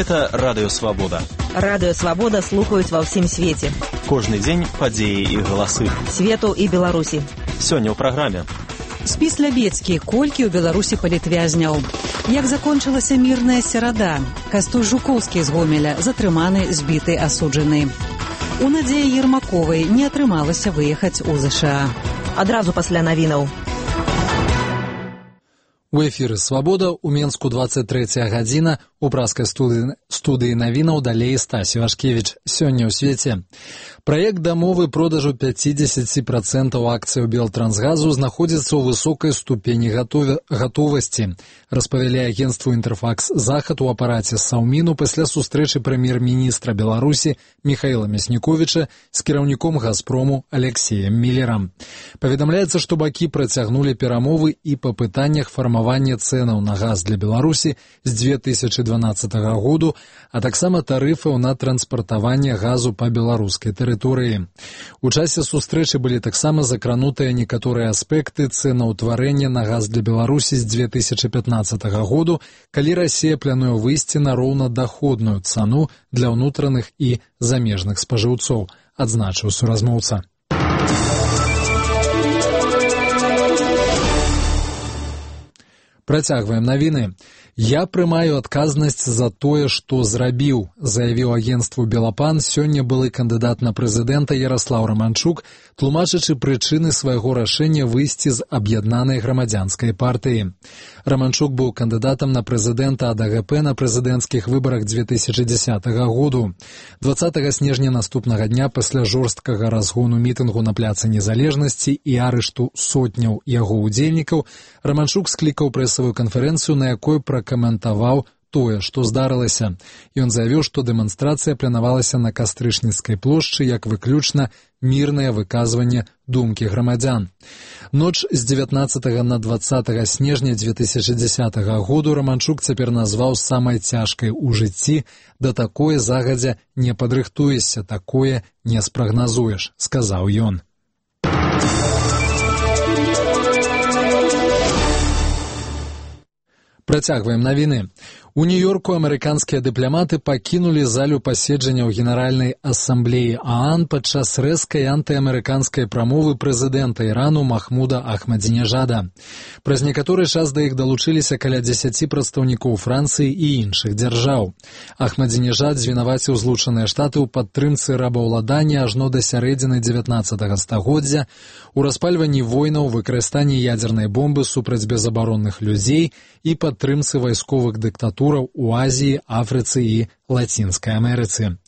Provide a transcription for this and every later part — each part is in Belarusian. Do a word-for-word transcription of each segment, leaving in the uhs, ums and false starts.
Гэта Радыё Свабода. Радыё Свабода слухаюць ва ўсім свеце. Кожны дзень падзеі і галасы. Свету і Беларусі. Сёння ў праграме. Спіс Лябецкі. Колькі ў Беларусі палітвязняў? Як закончылася мірная серада? Кастусь Жукоўскі з Гомеля затрыманы, збіты, асуджаны. У Надзеі Ермаковай не атрымалася выехаць у ЗША. Адразу пасля навінаў. У эфіры «Свабода» у Менску двадцать третья гадзіна, у праскай студыі, студыі навінаў далей Стасі Вашкевіч. Сёння ў свеце. Праект дамовы продажу пятьдесят процентов акцый Белтрансгазу знаходзіцца ў высокай ступені гатове, гатовасці, распавялі агенцтву «Інтэрфакс Захад» у апараце Саўміну пасля сустрэчы прэм'ер-міністра Беларусі Михаіла Мясніковіча з кіраўніком «Газпрому» Алексеем Міллерам. Паведамляецца, што бакі працягнулі перамовы і па пытаннях фармавання цэнаў на газ для Беларусі з две тысячи дванаццатага году, а таксама тарыфаў на транспартаванне газу па беларускай тэрыторыі. У часе сустрэчы былі таксама закранутыя некаторыя аспекты цэнаўтварэння на газ для Беларусі з две тысячи пятнаццатага году, калі Расія плануе выйсці на роўнадаходную цану для ўнутраных і замежных спажыўцоў, адзначыў суразмоўца. Працягваем навіны. «Я прымаю адказнасць за тое, што зрабіў», заявіў агенцтву «Белапан» сёння былы кандыдат на прэзідэнта Ярослаў Раманчук, тлумачачы прычыны свайго рашэння выйсці з аб'яднанай грамадзянскай партыі. Раманчук быў кандыдатам на прэзідэнта ад а гэ пэ на прэзідэнцкіх выбарах две тысячи дзесятага году. дваццатага снежня наступнага дня пасля жорсткага разгону мітынгу на пляцы Незалежнасці і арышту сотняў яго ўдзельнікаў Раманчук склікаў прэсавую канферэнцыю, на якой пракаментаваў тое, што здарылася. Ён заявіў, што дэманстрацыя планавалася на Кастрычніцкай плошчы як выключна мірнае выказванне думкі грамадзян. Ноч з дзевятнаццатага на дваццатага снежня две тысячи дзесятага году Раманчук цяпер назваў самай цяжкай у жыцці. Да такое загадзя не падрыхтуешся, такое не спрагназуеш, сказаў ён. Працягваем навіны. У Нью-Йорку амерыканскія дыпламаты пакінулі залю паседжанняў Генеральнай асамблеі ААН падчас рэзкай антыамерыканскай прамовы прэзідэнта Ірану Махмуда Ахмадзінежада. Праз некаторы час да іх далучыліся каля дзесяці прадстаўнікоў Францыі і іншых дзяржаў. Ахмадзінежад звінаваціў Злучаныя Штаты ў падтрымцы рабаўладання ажно да сярэдзіны дзевятнаццатага стагоддзя, у распальванні войнаў, выкарыстанні ядзернай бомбы супраць безабаронных людзей і падтрымцы вайсковых дыктатур у Азіі, Афрыцы і Лацінскай Амерыцы.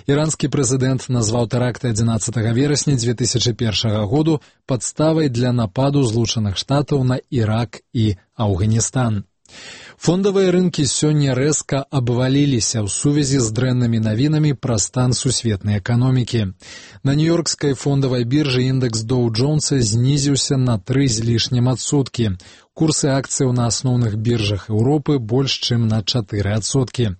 Іранскі прэзідэнт назваў тэракты адзінаццатага верасня две тысячи першага году падставай для нападу Злучаных Штатаў на Ірак і Афганістан. Фондавыя рынкі сёння рэзка абваліліся ў сувязі з дрэннымі навінамі пра стан сусветнай эканомікі. На нью-йоркскай фондавай біржы індэкс Доу-Джонса знізіўся на тры з лішнім адсоткі. Курсы акцыяў на асноўных біржах Еўропы больш чым на чатыры адсоткі.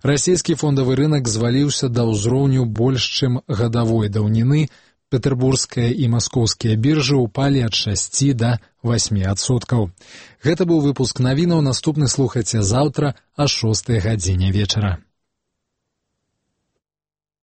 Расійскі фондавы рынак зваліўся да ўзроўню больш чым гадавой даўніны. Петербургская і маскоўскія біржы ўпалі ад шасці да васьмі адсоткаў. Гэта быў выпуск навінаў, наступны слухайце заўтра а шостай гадзіне вечара.